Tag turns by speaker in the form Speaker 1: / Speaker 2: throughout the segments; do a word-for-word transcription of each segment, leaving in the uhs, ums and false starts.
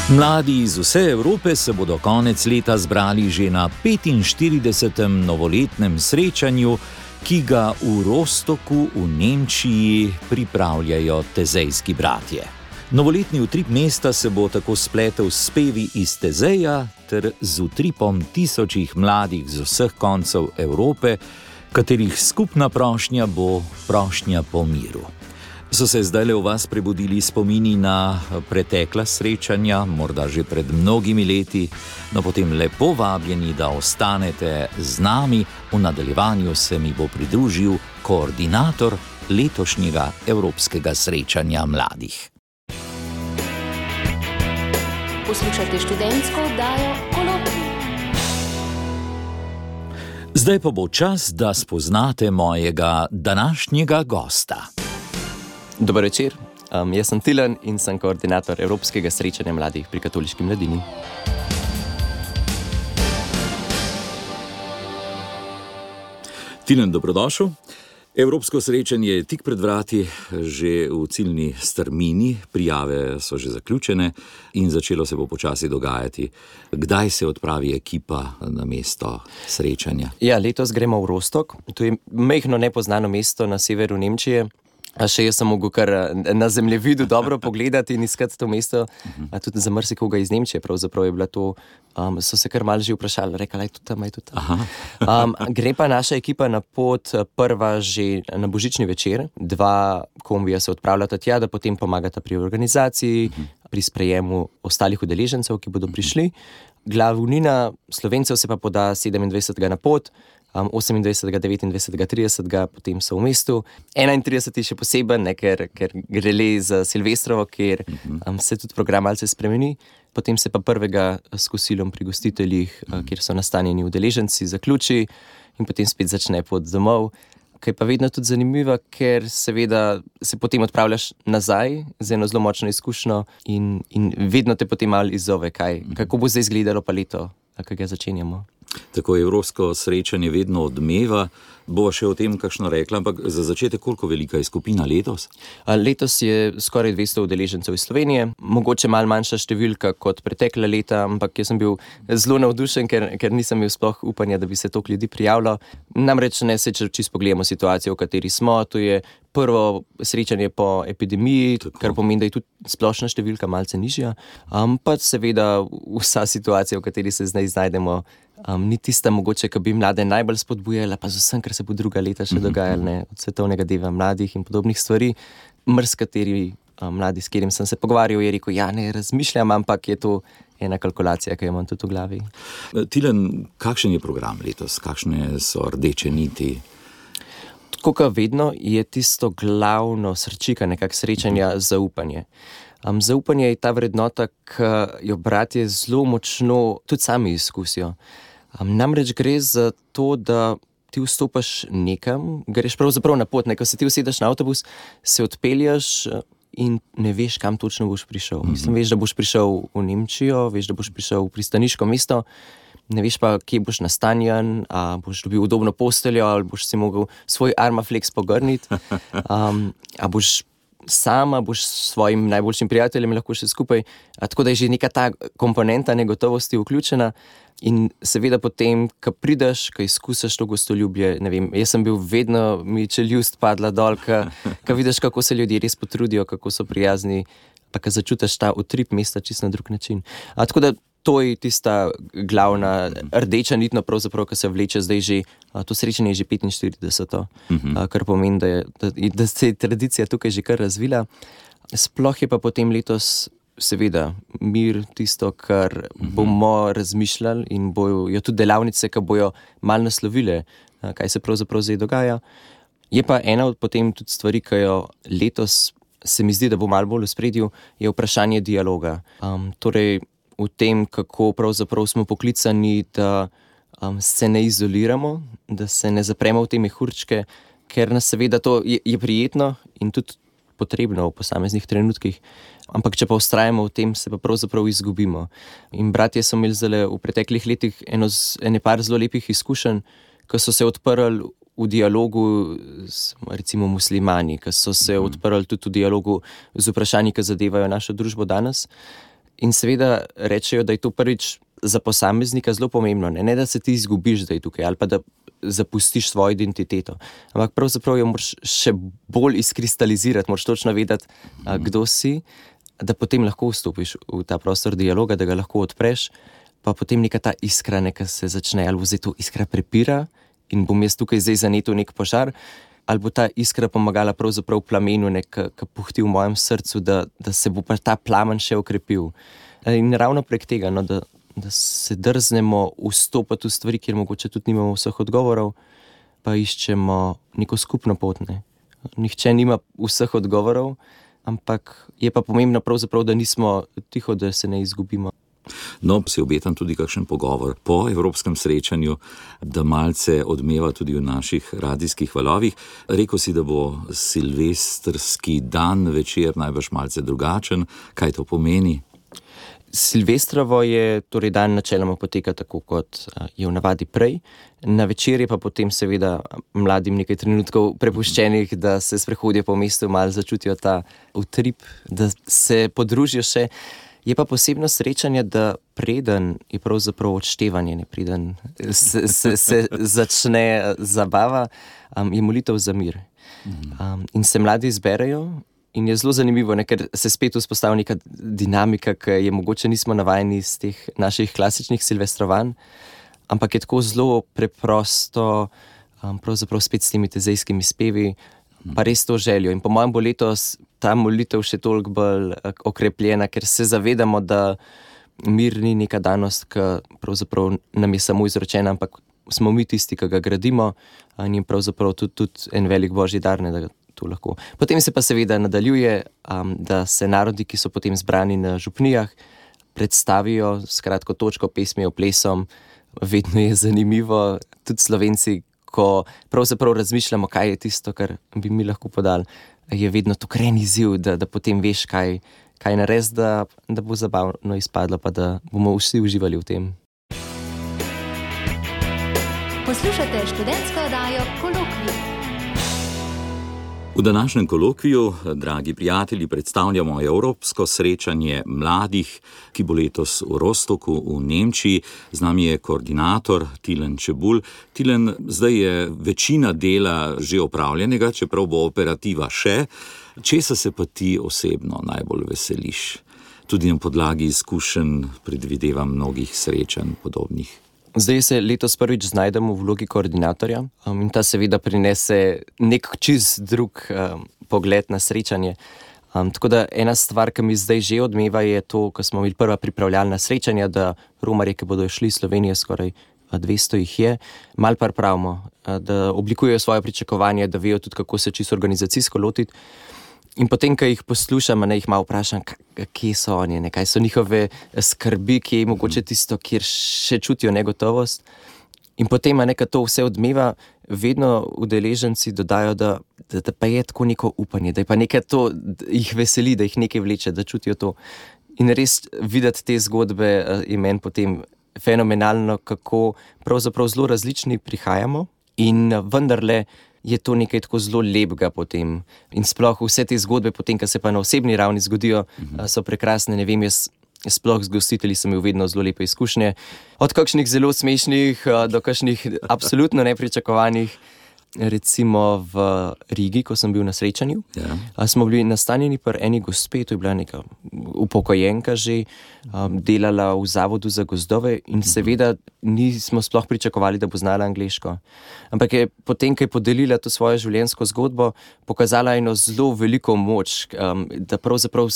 Speaker 1: Mladi iz vse Evrope se bodo konec leta zbrali že na petinštiridesetem novoletnem srečanju, ki ga v Rostoku v Nemčiji pripravljajo tezejski bratje. Novoletni utrip mesta se bo tako spletel s spevi iz Tezeja ter z utripom tisočih mladih z vseh koncev Evrope, katerih skupna prošnja bo prošnja po miru. So se zdajle v vas prebudili spomini na pretekla srečanja, morda že pred mnogimi leti, no potem lepo vabljeni, da ostanete z nami. V nadaljevanju se mi bo pridružil koordinator letošnjega Evropskega srečanja mladih.
Speaker 2: Poslušajte študentsko oddajo Kolokvij.
Speaker 1: Zdaj pa bo čas, da spoznate mojega današnjega gosta.
Speaker 3: Dober večer, um, jaz sem Tilen in sem koordinator Evropskega srečanja mladih pri Katoliški mladini.
Speaker 1: Tilen, dobrodošel. Evropsko srečanje je tik pred vrati, že v ciljni strmini, prijave so že zaključene in začelo se bo počasi dogajati. Kdaj se odpravi ekipa na mesto srečanja?
Speaker 3: Ja, letos gremo v Rostok, to je majhno nepoznano mesto na severu Nemčije. A še jaz sem mogel kar na zemljevidu dobro pogledati in iskati to mesto, a tudi za marsikoga iz Nemčije, pravzaprav je bila to, um, so se kar malo že vprašali, rekla, je to tam, je to tam. Um, gre pa naša ekipa na pot prva že na božični večer, dva kombija se odpravljata tja, da potem pomagata pri organizaciji, pri sprejemu ostalih udeležencev, ki bodo prišli. Glavnina Slovencev se pa poda sedemindvajsetega na pot, Um, osemindvajsetega, devetindvajsetega, tridesetega, potem so v mestu. enaintrideseti še poseben, ne, ker, ker gre le za Silvestrovo, ker um, se tudi program malce spremeni. Potem se pa prvega s kosilom pri gostiteljih, uh, kjer so nastanjeni udeleženci, zaključi in potem spet začne pot domov. Kaj pa vedno tudi zanimivo, ker seveda se potem odpravljaš nazaj z eno zelo močno izkušnjo in, in vedno te potem malo izzove, kaj, kako bo zdaj izgledalo pa leto, kako ga začenjamo.
Speaker 1: Tako evropsko srečanje vedno odmeva. Bova še o tem kakšno rekla, ampak za začetek, koliko velika je skupina letos?
Speaker 3: Letos je skoraj dvesto udeležencev iz Slovenije, mogoče malo manjša številka kot pretekla leta, ampak jaz sem bil zelo navdušen, ker, ker nisem imel sploh upanja, da bi se toliko ljudi prijavilo. Namreč ne se, če čisto pogledamo situacijo, v kateri smo, to je prvo srečanje po epidemiji, tako, kar pomeni, da je tudi splošna številka malce nižja, um, pa seveda vsa situacija, v kateri se zdaj znajdemo, um, ni tista mogoče, ki bi mlade najbolj spodbujala, pa z vsem, kar se bo druga leta še dogajalo, ne, od svetovnega dneva mladih in podobnih stvari. Mrskateri um, mladi, s katerim sem se pogovarjal, je rekel, ja, ne razmišljam, ampak je to ena kalkulacija, ki jo imam tudi v glavi.
Speaker 1: Tilen, kakšen je program letos? Kakšne so rdeče niti?
Speaker 3: Tako kot vedno je tisto glavno srčika nekak srečanja zaupanje. Um, zaupanje je ta vrednota, ki jo bratje zelo močno tudi sami izkusijo. Um, namreč gre za to, da ti vstopaš nekam, greš pravzaprav na pot, ne, ko se ti usedeš na avtobus, se odpeljaš in ne veš, kam točno boš prišel. Mm-hmm. Mislim, veš, da boš prišel v Nemčijo, veš, da boš prišel v pristaniško mesto, ne veš pa, kje boš nastanjen, a boš dobil udobno posteljo, ali boš si mogel svoj Armaflex pogrniti, um, a boš sama, boš s svojim najboljšim prijateljem lahko še skupaj. A tako da je že neka ta komponenta negotovosti vključena in seveda potem, ko prideš, ko izkusiš to gostoljubje, ne vem, jaz sem bil vedno, mi čeljust padla dol, ko vidiš, kako se ljudje res potrudijo, kako so prijazni, pa ko začutiš ta utrip mesta čisto na drug način. A tako da to je tista glavna rdeča nitno, pravzaprav, ki se vleče zdaj že, to srečanje je že petinštirideseto, uh-huh. kar pomeni, da, je, da, da se je tradicija tukaj že kar razvila. Sploh je pa potem letos seveda mir tisto, kar uh-huh. bomo razmišljali in bojo jo tudi delavnice, ki bojo malo naslovile, kaj se pravzaprav zdaj dogaja. Je pa ena od potem tudi stvari, ki jo letos se mi zdi, da bo malo bolj v spredju, je vprašanje dialoga. Um, torej, v tem, kako pravzaprav smo poklicani, da um, se ne izoliramo, da se ne zapremo v te mehurčke, ker nas seveda to je, je prijetno in tudi potrebno v posameznih trenutkih, ampak če pa vztrajamo v tem, se pa pravzaprav izgubimo. In bratje so imeli zdaj v preteklih letih eno, ene par zelo lepih izkušenj, ko so se odprli v dialogu s recimo muslimani, ki so se odprli tudi v dialogu z vprašanji, ki zadevajo našo družbo danes. In seveda rečejo, da je to prvič za posameznika zelo pomembno, ne, ne da se ti izgubiš zdaj tukaj ali pa da zapustiš svojo identiteto, ampak pravzaprav jo moraš še bolj izkristalizirati, moraš točno vedeti, a, kdo si, da potem lahko vstopiš v ta prostor dialoga, da ga lahko odpreš, pa potem neka ta iskra neka se začne, ali bo zdaj to iskra prepira in bom jaz tukaj zdaj zanetil nek požar, ali bo ta iskra pomagala pravzaprav plamenu, ki puhti v mojem srcu, da, da se bo pa ta plamen še okrepil. In ravno prek tega, no, da, da se drznemo vstopati v stvari, kjer mogoče tudi nimamo vseh odgovorov, pa iščemo neko skupno pot, ne. Nihče nima vseh odgovorov, ampak je pa pomembno pravzaprav, da nismo tiho, da se ne izgubimo.
Speaker 1: No, si obetam tudi kakšen pogovor po evropskem srečanju, da malce odmeva tudi v naših radijskih valovih. Rekel si, da bo silvestrski dan večer najbrž malce drugačen. Kaj to pomeni?
Speaker 3: Silvestrovo je, torej dan načeloma poteka tako, kot je v navadi prej. Na večer je pa potem seveda mladim nekaj trenutkov prepuščenih, da se sprehodijo po mestu, malo začutijo ta utrip, da se podružijo še. Je pa posebno srečanje, da preden je pravzaprav odštevanje, ne preden se, se, se začne zabava, um, je molitev za mir. Um, in se mladi izberejo in je zelo zanimivo, ne, ker se spet vzpostavlja neka dinamika, ki je mogoče nismo navajeni iz teh naših klasičnih silvestrovanj, ampak je tako zelo preprosto, um, pravzaprav spet s temi tezejskimi spevi, pa res to željo. In po mojem bo letos ta molitev še toliko bolj okrepljena, ker se zavedamo, da mir ni neka danost, ki pravzaprav nam je samo izročena, ampak smo mi tisti, ki ga gradimo, in je pravzaprav tudi, tudi en velik božji dar, ne, da to lahko. Potem se pa seveda nadaljuje, um, da se narodi, ki so potem zbrani na župnijah, predstavijo s kratko točko, pesmijo, plesom. Vedno je zanimivo, tudi Slovenci, ko pravzaprav razmišljamo, kaj je tisto, kar bi mi lahko podali, je vedno to kren izziv, da, da potem veš, kaj, kaj narediti, da, da bo zabavno izpadlo, pa da bomo vsi uživali v tem.
Speaker 2: Poslušate študentsko oddajo Kolokvij.
Speaker 1: V današnjem kolokviju, dragi prijatelji, predstavljamo evropsko srečanje mladih, ki bo letos v Rostoku v Nemčiji. Z nami je koordinator Tilen Čebulj. Tilen, zdaj je večina dela že opravljenega, čeprav bo operativa še. Česa se pa ti osebno najbolj veseliš? Tudi na podlagi izkušenj predvidevam mnogih srečanj podobnih.
Speaker 3: Zdaj se letos prvič znajdemo v vlogi koordinatorja um, in ta seveda prinese nek čist drug um, pogled na srečanje. Um, tako da ena stvar, ki mi zdaj že odmeva, je to, ko smo imeli prva pripravljalna srečanja, da romarje, ki bodo šli iz Slovenije, skoraj dvesto jih je, malo pa pravimo, da oblikujejo svoje pričakovanje, da vejo tudi, kako se čisto organizacijsko lotiti. In potem, ko jih poslušam, ne, jih malo vprašam, kje so oni, ne, kaj so njihove skrbi, kje je mogoče tisto, kjer še čutijo negotovost. In potem, ne, ko to vse odmeva, vedno udeleženci dodajo, da, da, da pa je tako neko upanje, da je pa nekaj to, da jih veseli, da jih nekaj vleče, da čutijo to. In res videti te zgodbe je meni potem fenomenalno, kako pravzaprav zelo različni prihajamo in vendarle je to nekaj tako zelo lepega potem. In sploh vse te zgodbe potem, ko se pa na osebni ravni zgodijo, uh-huh. so prekrasne. Ne vem, jaz sploh z gostitelji sem imel vedno zelo lepe izkušnje. Od kakšnih zelo smešnih do kakšnih absolutno nepričakovanih. Recimo v Rigi, ko sem bil na srečanju, yeah. smo bili nastanjeni pri eni gospe, to je bila neka upokojenka že, um, delala v zavodu za gozdove in seveda nismo sploh pričakovali, da bo znala angleško. Ampak je potem, ko je podelila to svojo življenjsko zgodbo, pokazala eno zelo veliko moč, um, da pravzaprav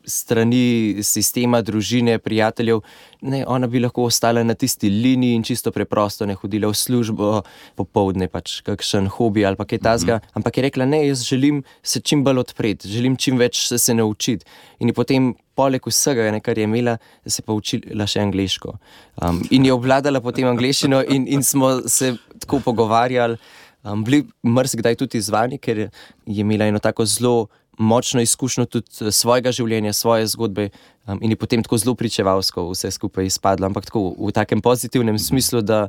Speaker 3: strani sistema, družine, prijateljev, ne, ona bi lahko ostala na tisti liniji in čisto preprosto ne hodila v službo, popoldne pač kakšen hobi ali pa kaj tazga, mm-hmm. ampak je rekla, ne, jaz želim se čim bolj odpreti, želim čim več se, se naučiti. In je potem poleg vsega, ne, kar je imela, se pa učila še angleško. Um, in je obvladala potem angleščino in, in smo se tako pogovarjali, um, bili marsikdaj tudi izvani, ker je imela eno tako zelo močno izkušnjo tudi svojega življenja, svoje zgodbe um, in je potem tako zelo pričevalsko vse skupaj izpadlo, ampak tako v takem pozitivnem smislu, da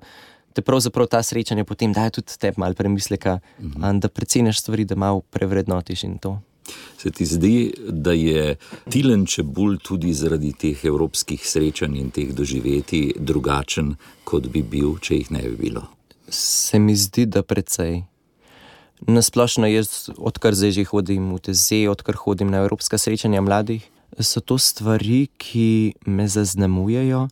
Speaker 3: te pravzaprav ta srečanja potem dajo tudi tebi malo premisleka, uh-huh. da preceniš stvari, da malo prevrednotiš in to.
Speaker 1: Se ti zdi, da je Tilen Čebulj tudi zaradi teh evropskih srečanj in teh doživetij drugačen, kot bi bil, če jih ne bi bilo?
Speaker 3: Se mi zdi, da precej. Nasplošno jaz, odkar zdaj že hodim v T Z, odkar hodim na evropska srečanja mladih, so to stvari, ki me zaznamujejo,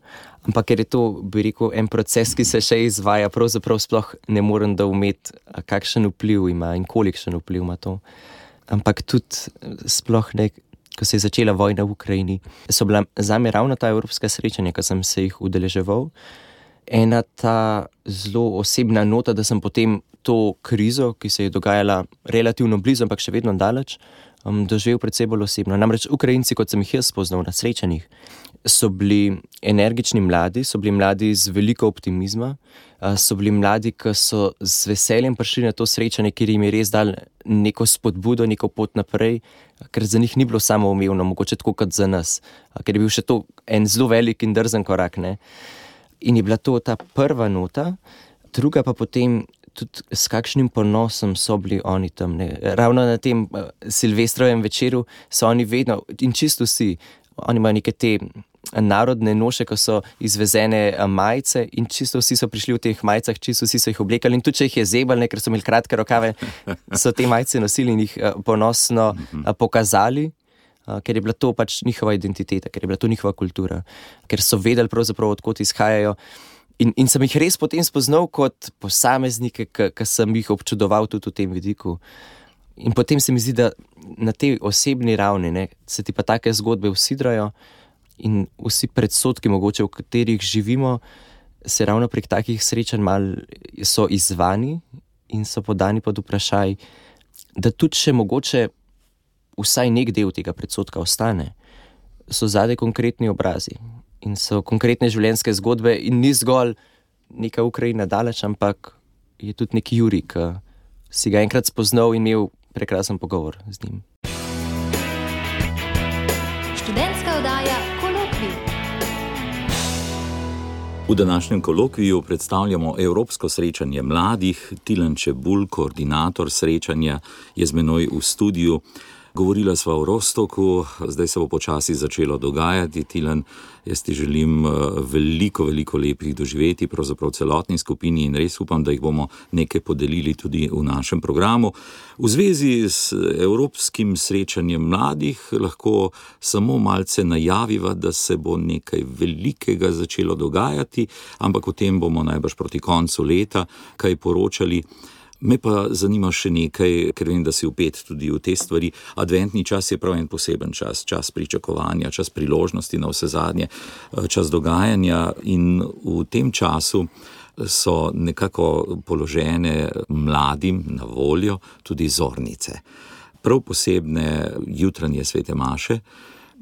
Speaker 3: ampak ker je to, bi rekel, en proces, ki se še izvaja, pravzaprav sploh ne morem da umeti, kakšen vpliv ima in kolikšen vpliv ima to. Ampak tudi sploh ne, ko se je začela vojna v Ukrajini, so bila zame ravno ta evropska srečanja, ko sem se jih udeleževal, ena ta zelo osebna nota, da sem potem to krizo, ki se je dogajala relativno blizu, ampak še vedno daleč, um, doživel predvsej bolj osebno. Namreč Ukrajinci, kot sem jih jaz spoznal na srečanjih, so bili energični mladi, so bili mladi z veliko optimizma, so bili mladi, ki so z veseljem prišli na to srečanje, kjer jim je res dal neko spodbudo, neko pot naprej, ker za njih ni bilo samoumevno, mogoče tako kot za nas, ker je bil še to en zelo velik in drzen korak, ne. In je bila to ta prva nota, druga pa potem tudi s kakšnim ponosom so bili oni tam, ne. Ravno na tem uh, Silvestrovem večeru so oni vedno, in čisto vsi, oni imajo neke te narodne noše, ko so izvezene majice in čisto vsi so prišli v teh majicah, čisto vsi so jih oblekali in tudi če jih je zebal, ne, ker so imeli kratke rokave, so te majice nosili in jih uh, ponosno uh, pokazali, uh, ker je bila to pač njihova identiteta, ker je bila to njihova kultura, ker so vedeli pravzaprav, odkot izhajajo. In, in sem jih res potem spoznal kot posameznike, ki sem jih občudoval tudi v tem vidiku. In potem se mi zdi, da na tej osebni ravni, ne, se ti pa take zgodbe usidrajo in vsi predsodki, mogoče v katerih živimo, se ravno prek takih srečanj malo so izzvani in so podani pod vprašaj, da tudi še mogoče vsaj nek del tega predsodka ostane. So zadaj konkretni obrazi. In so konkretne življenjske zgodbe in ni zgolj neka Ukrajina daleč, ampak je tudi neki Jurij, ki si ga enkrat spoznal in imel prekrasen pogovor z njim.
Speaker 2: Študentska oddaja Kolokvij.
Speaker 1: V današnjem kolokviju predstavljamo evropsko srečanje mladih. Tilen Čebulj, koordinator srečanja, je z menoj v studiu. Govorila sva o Rostoku, zdaj se bo počasi začelo dogajati. Tilen, jaz ti želim veliko, veliko lepih doživeti, pravzaprav celotni skupini in res upam, da jih bomo nekaj podelili tudi v našem programu. V zvezi s evropskim srečanjem mladih lahko samo malce najaviva, da se bo nekaj velikega začelo dogajati, ampak o tem bomo najbrž proti koncu leta kaj poročali. Me pa zanima še nekaj, ker vem, da si vpet tudi v te stvari. Adventni čas je prav en poseben čas, čas pričakovanja, čas priložnosti na vse zadnje, čas dogajanja in v tem času so nekako položene mladim na voljo tudi zornice. Prav posebne jutranje svete maše.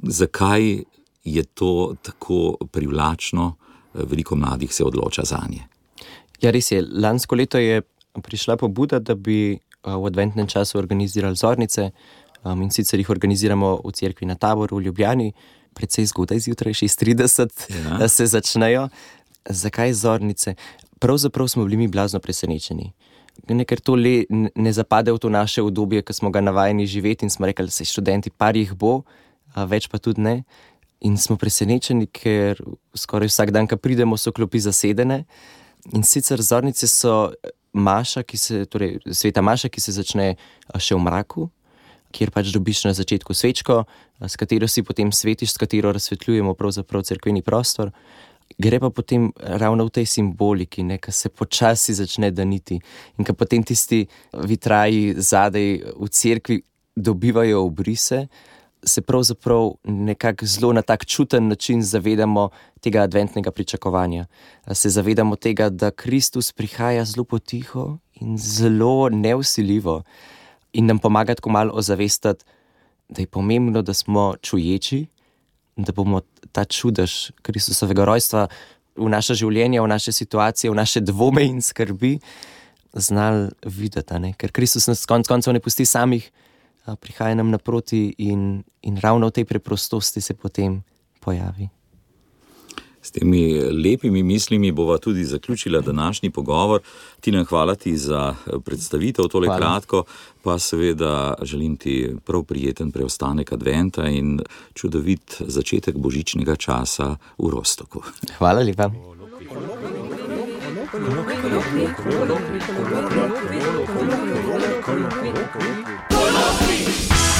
Speaker 1: Zakaj je to tako privlačno? Veliko mladih se odloča zanje.
Speaker 3: Ja, res je. Lansko leto je prišla pobuda, da bi v adventnem času organizirali zornice, um, in sicer jih organiziramo v cerkvi na Taboru v Ljubljani, precej zgodaj zjutraj, šest trideset, ja. Da se začnejo. Zakaj zornice? Pravzaprav smo bili mi blazno presenečeni. Ne, ker to le ne zapade v to naše obdobje, ki smo ga navajeni živeti in smo rekli, da se študenti, par jih bo, a več pa tudi ne. In smo presenečeni, ker skoraj vsak dan, ko pridemo, so klopi zasedene. In sicer zornice so maša, ki se, torej sveta maša, ki se začne še v mraku, kjer pač dobiš na začetku svečko, s katero si potem svetiš, s katero razsvetljujemo pravzaprav cerkveni prostor. Gre pa potem ravno v tej simboliki, ne, ko se počasi začne daniti in ko potem tisti vitraji zadaj v cerkvi dobivajo obrise, se pravzaprav nekako zelo na tak čuten način zavedamo tega adventnega pričakovanja. Se zavedamo tega, da Kristus prihaja zelo potiho in zelo nevsiljivo in nam pomaga tako malo ozavestati, da je pomembno, da smo čuječi, da bomo ta čudež Kristusovega rojstva v naša življenja, v naše situacije, v naše dvome in skrbi znali videti, ne? Ker Kristus nas konec koncev ne pusti samih, prihaja nam naproti in, in ravno v tej preprostosti se potem pojavi.
Speaker 1: S temi lepimi mislimi bova tudi zaključila današnji pogovor. Tina, hvala ti za predstavitev tole hvala. Kratko, pa seveda želim ti prav prijeten preostanek adventa in čudovit začetek božičnega časa v Rostoku.
Speaker 3: Hvala lepa. Kolokvij.